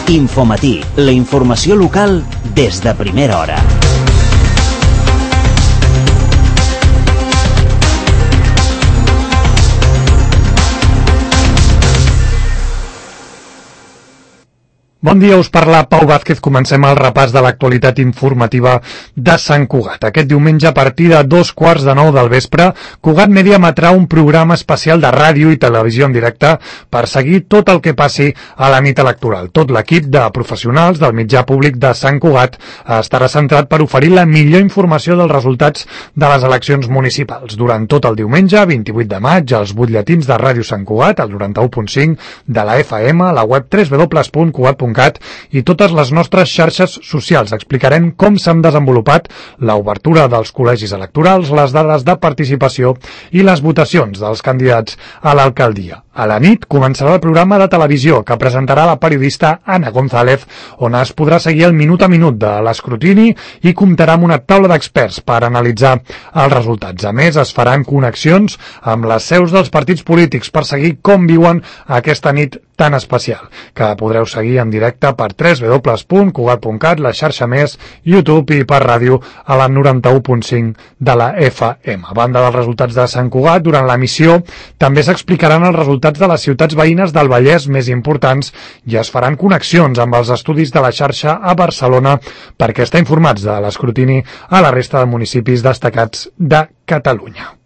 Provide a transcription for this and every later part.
Infomatí, la informació local des de primera hora. Bon dia, us parla Pau Vázquez. Comencem el repàs de l'actualitat informativa de Sant Cugat. Aquest diumenge, a partir de 9:15 del vespre, Cugat Mèdia emetrà un programa especial de ràdio i televisió en directe per seguir tot el que passi a la nit electoral. Tot l'equip de professionals del mitjà públic de Sant Cugat estarà centrat per oferir la millor informació dels resultats de les eleccions municipals. Durant tot el diumenge, 28 de maig, els butlletins de Ràdio Sant Cugat, el 91.5 de la FM, la web www.cugat.cat i totes les nostres xarxes socials. Explicarem com s'han desenvolupat l'obertura dels col·legis electorals, les dades de participació i les votacions dels candidats a l'alcaldia. A la nit començarà el programa de televisió que presentarà la periodista Ana González, on es podrà seguir el minut a minut de l'escrutini i comptarà amb una taula d'experts per analitzar els resultats. A més, es faran connexions amb les seus dels partits polítics per seguir com viuen aquesta nit tan especial, que podreu seguir en directe per www.cugat.cat, la xarxa Més, YouTube i per ràdio a la 91.5 de la FM. A banda dels resultats de Sant Cugat, durant l'emissió també s'explicaran els resultats de les ciutats veïnes del Vallès més importants i es faran connexions amb els estudis de la xarxa a Barcelona perquè estar informats de l'escrutini a la resta de municipis destacats de Catalunya.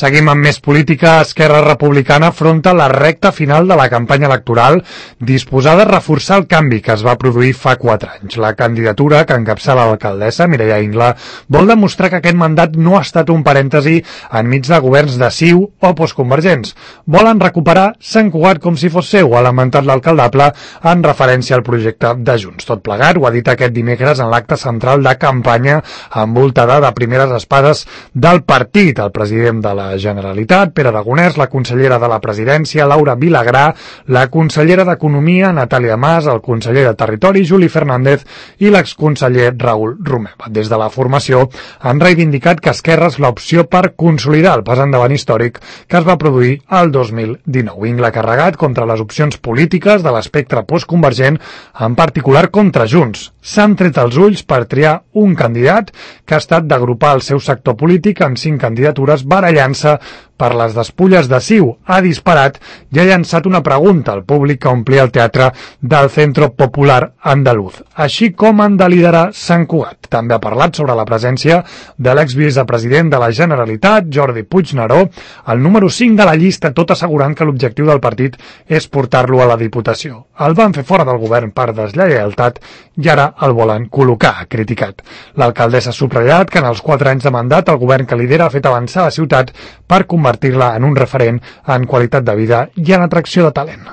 Seguim amb més política. Esquerra Republicana afronta la recta final de la campanya electoral disposada a reforçar el canvi que es va produir fa 4 anys. La candidatura que encapçala l'alcaldessa, Mireia Ingla, vol demostrar que aquest mandat no ha estat un parèntesi enmig de governs de CiU o postconvergents. Volen recuperar Sant Cugat com si fos seu, ha lamentat l'alcaldable en referència al projecte de Junts. Tot plegat ho ha dit aquest dimecres en l'acte central de campanya envoltada de primeres espades del partit. El president de la Generalitat, Pere Aragonès, la consellera de la Presidència, Laura Vilagrà, la consellera d'Economia, Natàlia Mas, el conseller de Territori, Juli Fernández, i l'exconseller Raül Romeva. Des de la formació han reivindicat que Esquerra és l'opció per consolidar el pas endavant històric que es va produir el 2019. Ingla ha carregat contra les opcions polítiques de l'espectre postconvergent, en particular contra Junts. S'han tret els ulls per triar un candidat que ha estat d'agrupar el seu sector polític en 5 candidatures barallant-se per les despulles de CiU. Ha disparat i ha llançat una pregunta al públic que omplia el teatre del Centro Popular Andaluz. Així com han de liderar Sant Cugat. També ha parlat sobre la presència de l'exvicepresident de la Generalitat, Jordi Puigneró, el número 5 de la llista, tot assegurant que l'objectiu del partit és portar-lo a la Diputació. El van fer fora del govern per deslleialtat i ara el volen col·locar, ha criticat. L'alcaldessa ha subratllat que en els 4 anys de mandat el govern que lidera ha fet avançar la ciutat per convertir-la en un referent en qualitat de vida i en atracció de talent.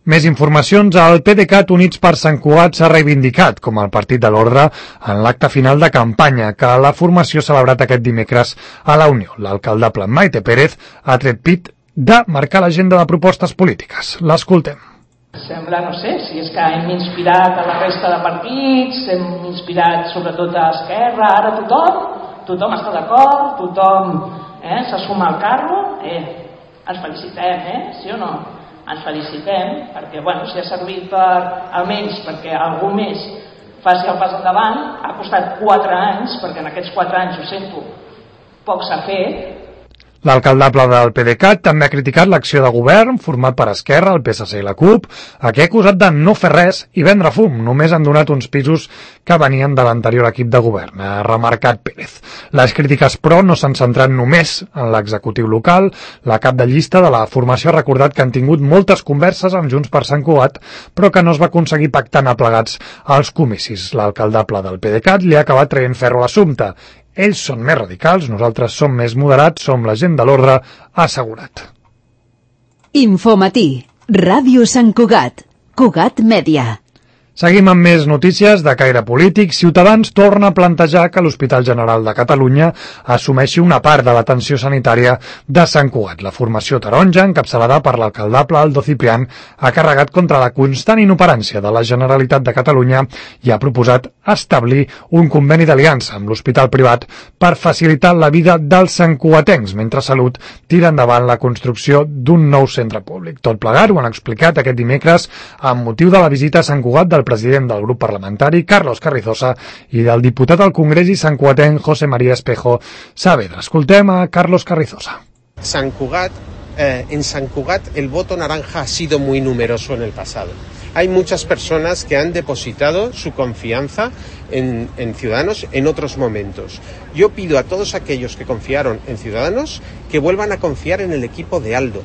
Més informacions. El PDeCAT Units per Sant Cugat s'ha reivindicat com el partit de l'ordre en l'acte final de campanya que la formació ha celebrat aquest dimecres a la Unió. L'alcaldable Maite Pérez ha tret pit de marcar l'agenda de propostes polítiques. L'escoltem. Sembla, no sé, si és que hem inspirat a la resta de partits, hem inspirat sobretot a Esquerra, ara tothom està d'acord, tothom se suma al carro, ens felicitem, sí o no? Ens felicitem, perquè si ha servit almenys perquè algú més faci el pas endavant, ha costat 4 anys, perquè en aquests 4 anys, ho sento, poc s'ha fet. L'alcaldable del PDeCAT també ha criticat l'acció de govern format per Esquerra, el PSC i la CUP, a què ha acusat de no fer res i vendre fum. Només han donat uns pisos que venien de l'anterior equip de govern, ha remarcat Pérez. Les crítiques, però, no s'han centrat només en l'executiu local. La cap de llista de la formació ha recordat que han tingut moltes converses amb Junts per Sant Cugat, però que no es va aconseguir pactar anar plegats als comicis. L'alcaldable del PDeCAT li ha acabat traient ferro a l'assumpte. Ells són més radicals, nosaltres som més moderats, som la gent de l'ordre, ha assegurat. Infomatí, Ràdio Sant Cugat, Cugat Mèdia. Seguim amb més notícies de caire polític. Ciutadans torna a plantejar que l'Hospital General de Catalunya assumeixi una part de l'atenció sanitària de Sant Cugat. La formació taronja, encapçalada per l'alcaldable Aldo Ciprián, ha carregat contra la constant inoperància de la Generalitat de Catalunya i ha proposat establir un conveni d'aliança amb l'hospital privat per facilitar la vida dels santcugatencs, mentre Salut tira endavant la construcció d'un nou centre públic. Tot plegat ho han explicat aquest dimecres amb motiu de la visita a Sant Cugat del president del grup parlamentari, Carlos Carrizosa, i del diputat al Congrés i santcugatenc, José María Espejo Saavedra. Escoltem a Carlos Carrizosa. En San Cugat el voto naranja ha sido muy numeroso en el pasado. Hay muchas personas que han depositado su confianza en Ciudadanos en otros momentos. Yo pido a todos aquellos que confiaron en Ciudadanos que vuelvan a confiar en el equipo de Aldo,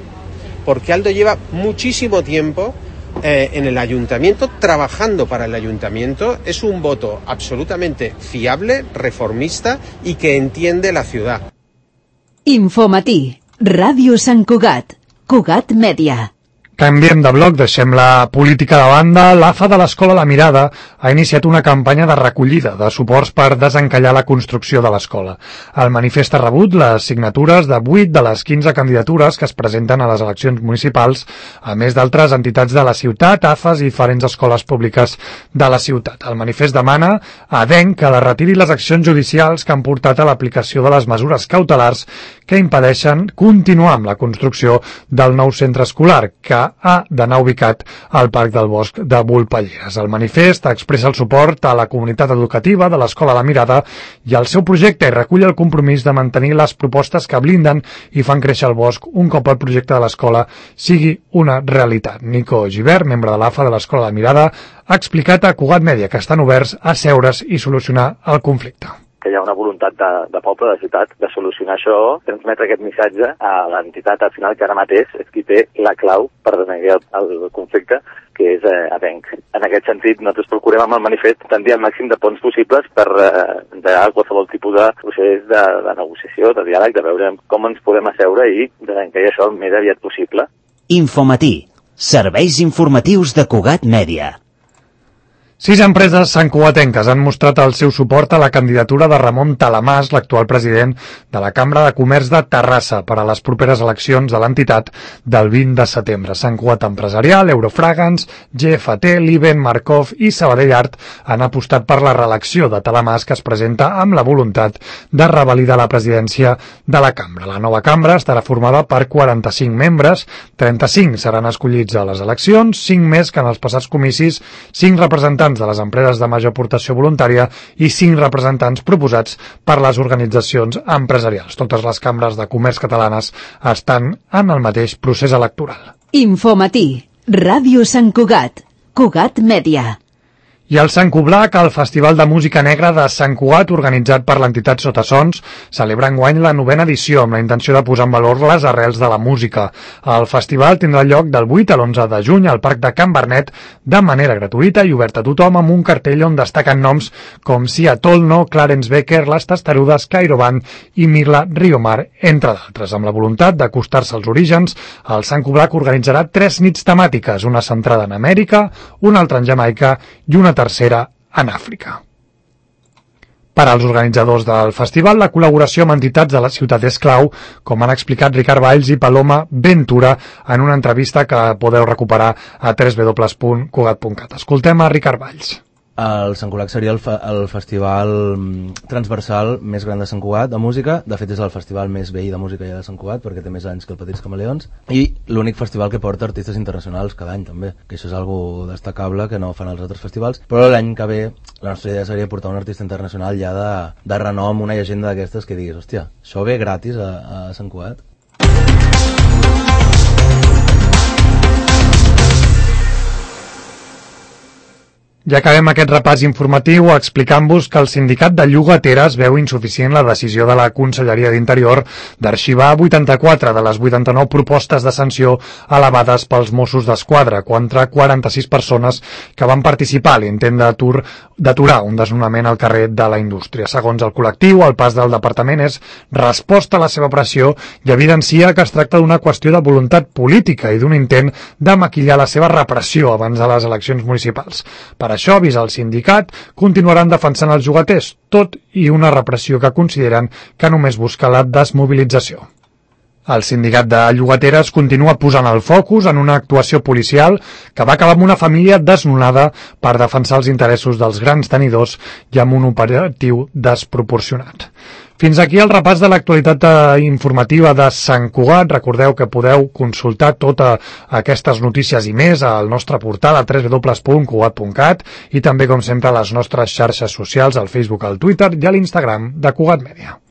porque Aldo lleva muchísimo tiempo en el ayuntamiento, trabajando para el ayuntamiento. Es un voto absolutamente fiable, reformista y que entiende la ciudad. Infomatí, Ràdio Sant Cugat, Cugat Mèdia. Canviem de bloc, deixem la política de banda. L'AFA de l'Escola La Mirada ha iniciat una campanya de recollida de suports per desencallar la construcció de l'escola. El manifest ha rebut les signatures de 8 de les 15 candidatures que es presenten a les eleccions municipals, a més d'altres entitats de la ciutat, AFAs i diferents escoles públiques de la ciutat. El manifest demana a ADENC que retiri les accions judicials que han portat a l'aplicació de les mesures cautelars que impedeixen continuar amb la construcció del nou centre escolar, que ha d'anar ubicat al Parc del Bosc de Volpelleres. El manifest expressa el suport a la comunitat educativa de l'Escola La Mirada i al seu projecte i recull el compromís de mantenir les propostes que blinden i fan créixer el bosc un cop el projecte de l'escola sigui una realitat. Nico Gibert, membre de l'AFA de l'Escola La Mirada, ha explicat a Cugat Mèdia que estan oberts a seure's i solucionar el conflicte. Que hi ha una voluntat de poble, de ciutat, de solucionar això, transmetre aquest missatge a l'entitat al final que ara mateix és qui té la clau per desenvolupar el conflicte, que és ADENC. En aquest sentit, nosaltres procurem amb el manifest tendir al màxim de ponts possibles per engegar qualsevol tipus de procés de negociació, de diàleg, de veure com ens podem asseure i desencair això el més aviat possible. Infomatí, serveis informatius de Cugat Mèdia. 6 empreses santcugatenques han mostrat el seu suport a la candidatura de Ramon Talamàs, l'actual president de la Cambra de Comerç de Terrassa, per a les properes eleccions de l'entitat del 20 de setembre. Sant Cugat Empresarial, Eurofragans, GFT, Liben, Markov i Sabadell Art han apostat per la reelecció de Talamàs, que es presenta amb la voluntat de revalidar la presidència de la Cambra. La nova Cambra estarà formada per 45 membres, 35 seran escollits a les eleccions, 5 més que en els passats comicis, 5 representants de les empreses de major aportació voluntària i 5 representants proposats per les organitzacions empresarials. Totes les cambres de comerç catalanes estan en el mateix procés electoral. Infomatí, Ràdio Sant Cugat, Cugat Mèdia. I el Sant Coblac, el Festival de Música Negra de Sant Cugat, organitzat per l'entitat Sotasons, celebra enguany la 9ª edició amb la intenció de posar en valor les arrels de la música. El festival tindrà lloc del 8 a l'11 de juny al Parc de Can Bernet de manera gratuïta i oberta a tothom, amb un cartell on destaquen noms com Sia Tolno, Clarence Becker, Les Testarudes, Cairo Band i Mirla Riomar, entre d'altres. Amb la voluntat d'acostar-se als orígens, el Sant Coblac organitzarà 3 nits temàtiques, una centrada en Amèrica, una altra en Jamaica i una tercera en Àfrica. Per als organitzadors del festival, la col·laboració amb entitats de la ciutat és clau, com han explicat Ricard Valls i Paloma Ventura en una entrevista que podeu recuperar a www.cugat.cat. Escoltem a Ricard Valls. El Sant Colac seria el festival transversal més gran de Sant Cugat de música. De fet és el festival més vell de música ja de Sant Cugat, perquè té més anys que el Petits Camaleons, i l'únic festival que porta artistes internacionals cada any també, que això és algo destacable que no fan els altres festivals. Però l'any que ve la nostra idea seria portar un artista internacional ja de renom, una llegenda d'aquestes que diguis, hòstia, això ve gratis a Sant Cugat. Ja acabem aquest repàs informatiu explicant-vos que el sindicat de llogateres veu insuficient la decisió de la Conselleria d'Interior d'arxivar 84 de les 89 propostes de sanció elevades pels Mossos d'Esquadra contra 46 persones que van participar a l'intent d'aturar un desnonament al carrer de la Indústria. Segons el col·lectiu, el pas del departament és resposta a la seva pressió i evidencia que es tracta d'una qüestió de voluntat política i d'un intent de maquillar la seva repressió abans de les eleccions municipals. Per això, avisa el sindicat, continuaran defensant els llogaters, tot i una repressió que consideren que només busca la desmobilització. El sindicat de llogateres continua posant el focus en una actuació policial que va acabar amb una família desnonada per defensar els interessos dels grans tenidors i amb un operatiu desproporcionat. Fins aquí el repàs de l'actualitat informativa de Sant Cugat. Recordeu que podeu consultar totes aquestes notícies i més al nostre portal a www.cugat.cat i també, com sempre, a les nostres xarxes socials, al Facebook, al Twitter i a l'Instagram de Cugat Mèdia.